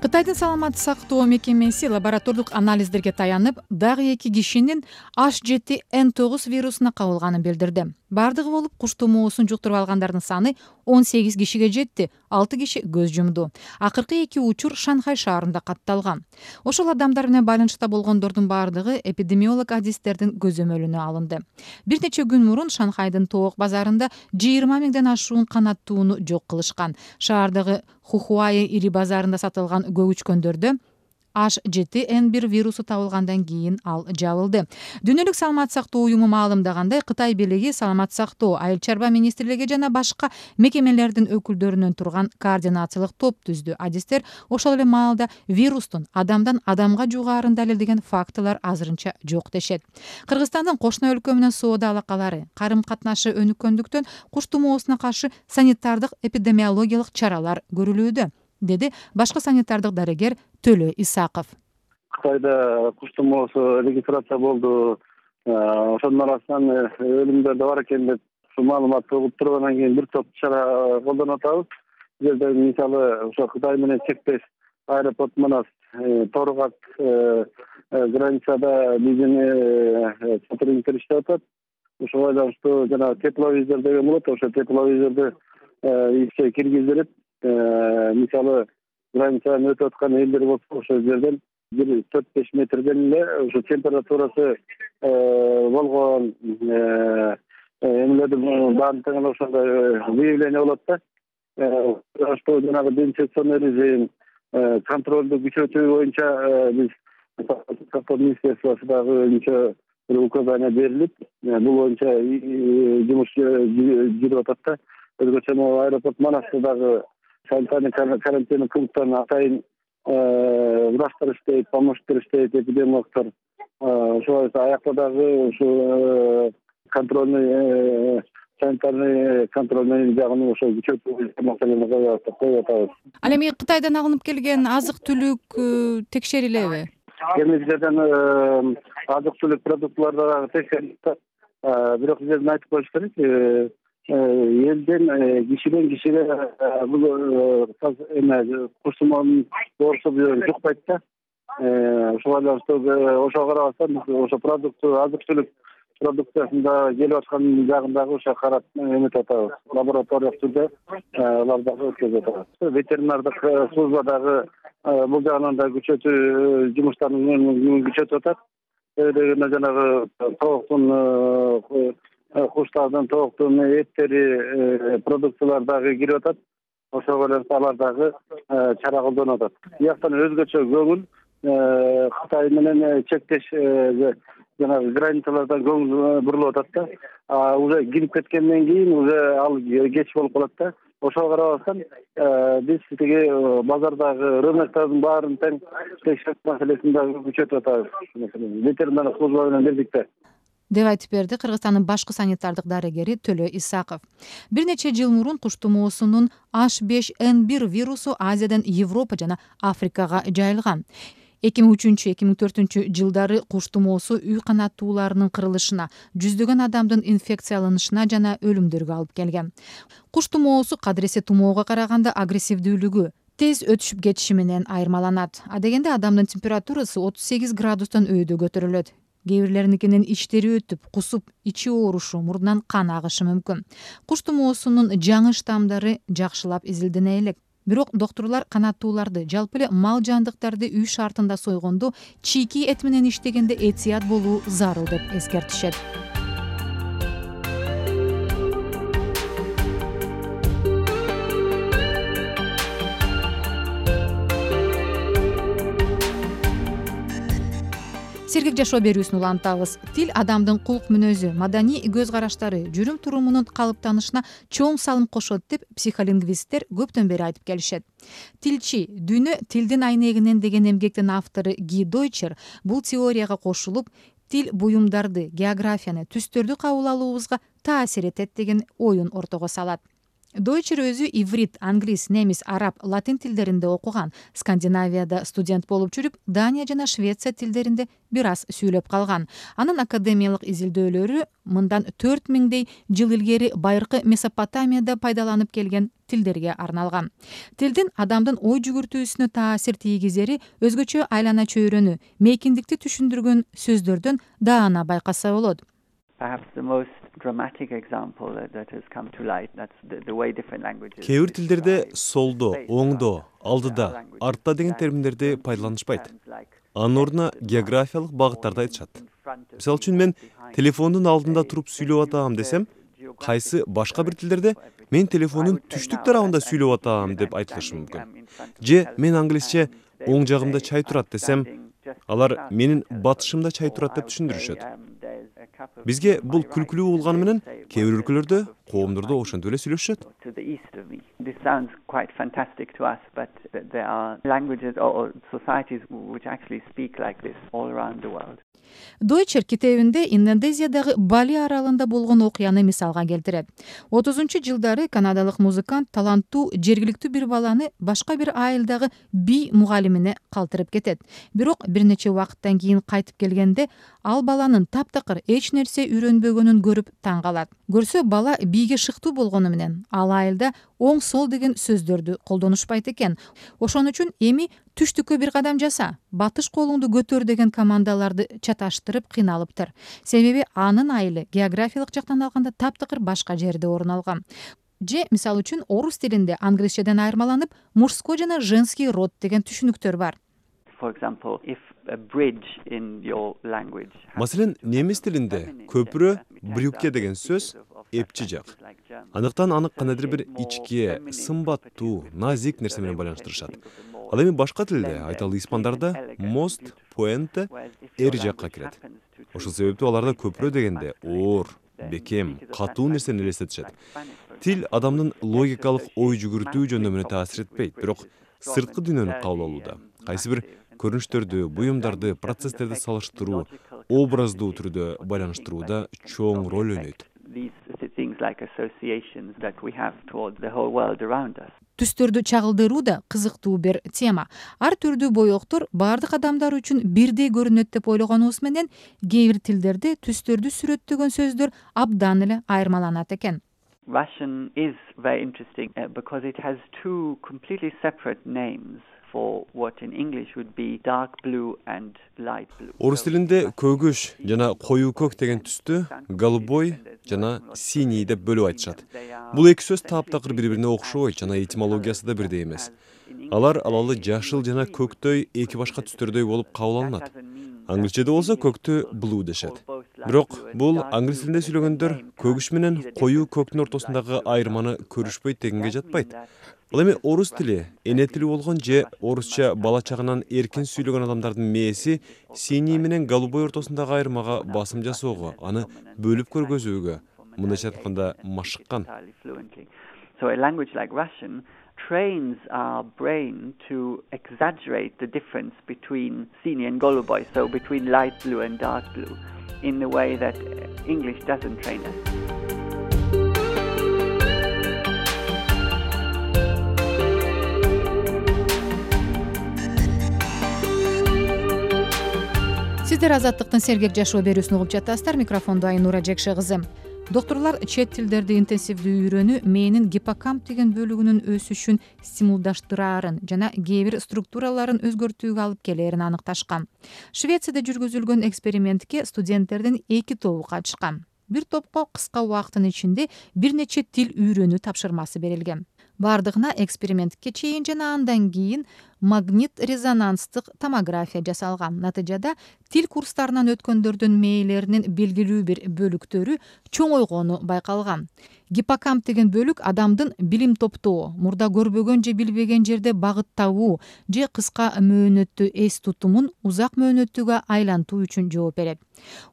Кытайдын саламаттык сактоо мекемеси лаборатордук анализдерге таянып, дагы 2 кишинин H7N9 вирусуна кабылганын билдирди. Бардыгы болуп куш тумоосун жуктуруп алгандардын саны 18 кишиге жетти, 6 киши көз жумду. Акыркы 2 учур Шанхай шаарында катталган. Ошол адамдар менен байланышта болгондордун бардыгы эпидемиолог адистердин көзөмөлүнө алынды. Бир нече күн мурун Шанхайдын тоок базарында 20 миңден ашуун канаттууну жок кылышкан. Шаардагы Хухуай ири базарында сатылган көгүчкөндөрдө H7N1 вирусу табылгандан кийин ал жабылды. Дүйнөлүк саламаттык сактоо уюму маалымдагандай, Кытай бийлиги саламаттык сактоо, айыл чарба министрлиги жана башка мекемелердин өкүлдөрүнөн турган координациялык топ түздү. Адистер ошол эле маалда вирустун адамдан адамга жугаарын далилдеген фактылар азырынча жок дешет. Кыргызстандын кошуна өлкө менен соода алакалары, карым катнашы өнүккөндүктөн куш тумоосуна каршы санитардык эпидемиологиялык чаралар көрүлүүдө, деди башкы санитардык дарыгер Төлө Исаков. Кытайда куш тумоосу регистрация болду. Ошонун арасынан өлүмдөр да бар экен деп маалыматты угуп тургандан кийин бир топ чара колдонуп атабыз. Бул жерде мисалы ошо Кытай менен чектеш аэропорт манас Торгак границада биздин сотрудниктер иштеп атат. Ошого байланыштуу жана тепловизор деген болот. Ошо тепловизорду ишке киргизилип, мисалы границадан өтүп аткан элдер болсо ошол жерден 4-5 метрден эле ошо температурасы болгон эмелердин баарын тең ошондой выявление болот да. Что жанагы дезинфекционный режим, контролду күчөтүү боюнча биз сактоо министерствосундагы боюнча указания берилип, бул боюнча жумуш жүрүп атат да. Өзгөчө аэропорт Манастырдагы санитарный карантин пункттарын атайын врачтар иштейт, помощниктер иштейт, эпидемиологдор. Ошол аякта дагы ушу контрольный санитарный контрольный жагын ошо күчөтүү маселени коюп атабыз. Ал эми Кытайдан алынып келген азык-түлүк текшерилеби? Кемиздерден азык-түлүк продуктыларды дагы текшерилет. Бирок жерден айтып коюш керек, элден кишиден кишиге бул куш тумоонун оорусу жукпайт да. Ошого байланыштуу ошого карабастан ошо азык-түлүк продукциясында келип аткан жагындагы ошо карап эметип атабыз. Лабораториялык түрдө алар дагы өткөзүп атабыз. Ветеринардык служба дагы бул жагынан да күчөтүү жумуштарын күчөтүп атат. Дегенде жанагы тооктун куштардын тооктун эттери продукциялар дагы кирип атат. Ошого байланыштуу алар дагы чара колдонуп атат. Бияктан өзгөчө көңүл Кытай менен чектеш жанагы границалардан көңүл бурулуп атат да. Уже кирип кеткенден кийин уже ал кеч болуп калат да. Ошого карабастан биз тиги базардагы рыноктардын баарын тең текшерүү маселесин дагы күчөтүп атабыз. Ветеринардык служба менен бирдикте, деп айтып берди Кыргызстандын башкы санитардык дарыгери Төлө Исаков. Бир нече жыл мурун куш тумоосунун H5N1 вирусу Азиядан Европа жана Африкага жайылган. 2003-2004 жылдары куш тумоосу үй канаттууларынын кырылышына, жүздөгөн адамдын инфекцияланышына жана өлүмдөргө алып келген. Куш тумоосу кадыресе тумоого караганда агрессивдүүлүгү тез өтүшүп кетиши менен айырмаланат. Адегенде адамдын температурасы 38 градустан өйдө көтөрүлөт. Кээ бирлеринин иштери өтүп, кусуп, ичи оорушу, мурдунан кан агышы мүмкүн. Куш тумоосунун жаңы штамдары жакшылап изилдене элек. Бирок доктурлар канаттууларды, жалпы эле мал жандыктарды үй шартында сойгондо чийки эт менен иштегенде этият болуу зарыл деп эскертишет. Сергек жашоо берүүсүн улантабыз. Тил адамдын кулк мүнөзү, маданий көз караштары, жүрүм турумунун калыптанышына чоң салым кошот деп психолингвисттер көптөн бери айтып келишет. Тилчи, дүйнө тилдин айнегинен деген эмгектин автору Ги Дойчер бул теорияга кошулуп, тил буюмдарды, географияны, түстөрдү кабыл алуубузга таасир этет деген оюн ортого салат. Дойчер өзү иврит, англис, немис, араб, латин тилдеринде окуган. Скандинавияда студент болуп жүрүп, Дания жана Швеция тилдеринде бир аз сүйлөп калган. Анын академиялык изилдөөлөрү мындан 4000 жыл илгери байыркы Месопотамияда пайдаланып келген тилдерге арналган. Тилдин адамдын ой жүгүртүүсүнө таасир тийгизери өзгөчө айлана чөйрөнү, мейкиндикти түшүндүргөн сөздөрдөн даана байкаса болот. Кээ бир тилдерде солдо, оңдо, алдыда, артта деген терминдерди пайдаланышпайт. Анын ордуна географиялык багыттарды айтышат. Мисалы үчүн мен телефондун алдында туруп сүйлөп атам десем, кайсы башка бир тилдерде мен телефондун түштүк тарабында сүйлөп атам деп айтылышы мүмкүн. Же мен англисче оң жагымда чай турат десем, алар менин батышымда чай турат деп түшүндүрүшөт. Бизге бул күлкүлүү болгону менен кээ бир өлкөлөрдө, коомдордо ошентип эле сүйлөшүшөт. Дойчер китебинде Индонезиядагы Бали аралында болгон окуяны мисалга келтирет. 30-жылдары канадалык музыкант таланттуу жергиликтүү бир баланы башка бир айылдагы би мугалимине калтырып кетет. Бирок бир нече убакыттан кийин кайтып келгенде ал баланын таптакыр эч нерсе үйрөнбөгөнүн көрүп таң калат. Көрсө бала биге шыктуу болгону менен ал айылда оң сол деген сөздөрдү колдонушпайт экен. Ошон үчүн эми түштүккө бир кадам жаса, батыш колуңду көтөр деген командаларды чаташтырып кыйналыптыр. Себеби анын айылы географиялык жактан алганда таптакыр башка жерде орун алган. Же мисалы үчүн орус тилинде англисчеден айырмаланып мужской жана женский род деген түшүнүктөр бар. Маселен, немис тилинде көпүрө брюкке деген сөз эпчи жак. Андыктан аны кандайдыр бир ичке, сымбаттуу, назик нерсе менен байланыштырышат. Ал эми башка тилде, айталы испандарда мост, пуэнте эр жакка кирет. Ошол себептүү аларда көпүрө дегенде оор, бекем, катуу нерсени элестетишет. Тил адамдын логикалык ой жүгүртүү жөндөмүнө таасир этпейт, бирок сырткы дүйнөнү кабыл алууда. Кайсы бир көрүнүштөрдү, буюмдарды, процесстерди салыштыруу, образдуу түрдө байланыштырууда чоң роль ойнойт. Түстөрдү чагылдыруу да кызыктуу бир тема. Ар түрдүү боёктор бардык адамдар үчүн бирдей көрүнөт деп ойлогонубуз менен кээ бир тилдерде түстөрдү сүрөттөгөн сөздөр абдан эле айырмаланат экен. Russian is very interesting because it has two completely separate names for what in English would be dark blue and light blue. Орус тилинде көгүш жана коюу көк деген түстү голубой жана синий деп бөлүп айтышат. Бул эки сөз таптакыр бири-бирине окшойт жана этимологиясы да бирдей эмес. Алар алалы жашыл жана көктөй эки башка түстөрдөй болуп кабыл алынат. Англисчеде болсо көктү blue дешет. Бирок бул англис тилинде сүйлөгөндөр көгүш менен коюу көктүн ортосундагы айырманы көрүшпөйт дегенге жатпайт. Ал эми орус тили, эне тили болгон же орусча бала чагынан эркин сүйлөгөн адамдардын мээси синий менен голубой ортосундагы айырмага басым жасоого, аны бөлүп көргөзүүгө, мындайча айтканда машыккан. So a language like Russian trains our brain to exaggerate the difference between sini and goluboy, so between light blue and dark blue, in a way that English doesn't train us. Сиздер Азаттыктын сергек жашоо берүүсүн угуп жатасыздар. Микрофондо Айнура Жекше кызы. Доктурлар чет тилдерди интенсивдүү үйрөнүү мээнин гиппокамп деген бөлүгүнүн өсүшүн стимулдаштыраарын жана кээ бир структураларын өзгөртүүгө алып келерин аныкташкан. Швецияда жүргүзүлгөн экспериментке студенттердин 2 тобу катышкан. Бир топко кыска убакыттын ичинде бир нече тил үйрөнүү тапшырмасы берилген. Бардыгына экспериментке чейин жана андан кийин магнит-резонанстык томография жасалган. Натыйжада тил курстарынан өткөндөрдүн мээлеринин белгилүү бир бөлүктөрү чоңойгону байкалган. Гиппокамп деген бөлүк адамдын билим топтоо, мурда көрбөгөн же билбеген жерде багыт табуу же кыска мөөнөттүү эс тутумун узак мөөнөттүүгө айлантуу үчүн жооп берет.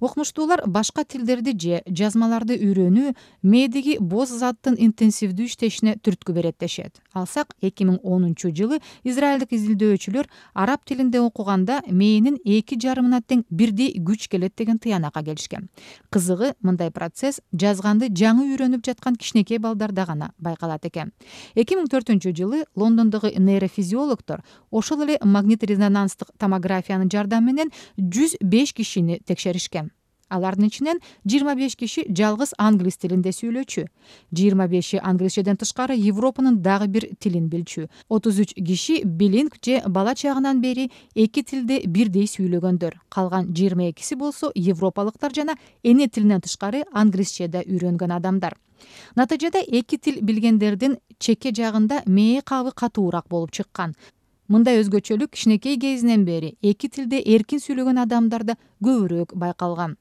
Окумуштуулар башка тилдерди же жазмаларды үйрөнүү мээдеги боз заттын интенсивдүү иштешине түрткү берет дешет. Алсак 2010-жылы израилдик изилдөөчүлөр араб тилинде окуганда мээнин 2,5 тең бирдей күч келет деген тыянакка келишкен. Кызыгы, мындай процесс жазганды жаңы үйрөнүп жаткан кичинекей балдарда гана байкалат экен. 2004-жылы Лондондогу нейрофизиологдор ошол эле магнит-резонанстык томографиянын жардамы менен 105 кишини текшеришкен. Алардын ичинен 25 киши жалгыз англис тилинде сүйлөчү, 25 англисчеден тышкары Европанын дагы бир тилин билчү, 33 киши билинг же бала чагынан бери эки тилде бирдей сүйлөгөндөр, калган 22 болсо европалыктар жана эне тилинен тышкары англисчеде үйрөнгөн адамдар. Натыйжада эки тил билгендердин чекке жагында мээ кабы катуураак болуп чыккан. Мындай өзгөчөлүк кичинекей кезинен бери эки тилде эркин сүйлөгөн адамдарда көбүрөөк байкалган.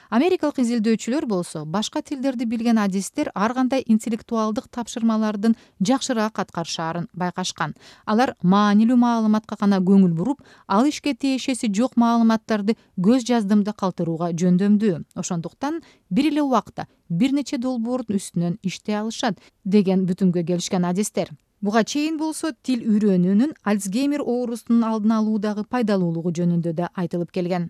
Америкалык изилдөөчүлөр болсо башка тилдерди билген адистер ар кандай интеллектуалдык тапшырмалардын жакшыраак аткарышаарын байкашкан. Алар маанилүү маалыматка гана көңүл буруп, ал ишке тиешеси жок маалыматтарды көз жаздымда калтырууга жөндөмдүү. Ошондуктан бир эле убакта бир нече долбоордун үстүнөн иштей алышат деген бүтүмгө келишкен адистер. Буга чейин болсо тил үйрөнүүнүн Альцгеймер оорусунун алдын алуудагы пайдалуулугу жөнүндө да айтылып келген.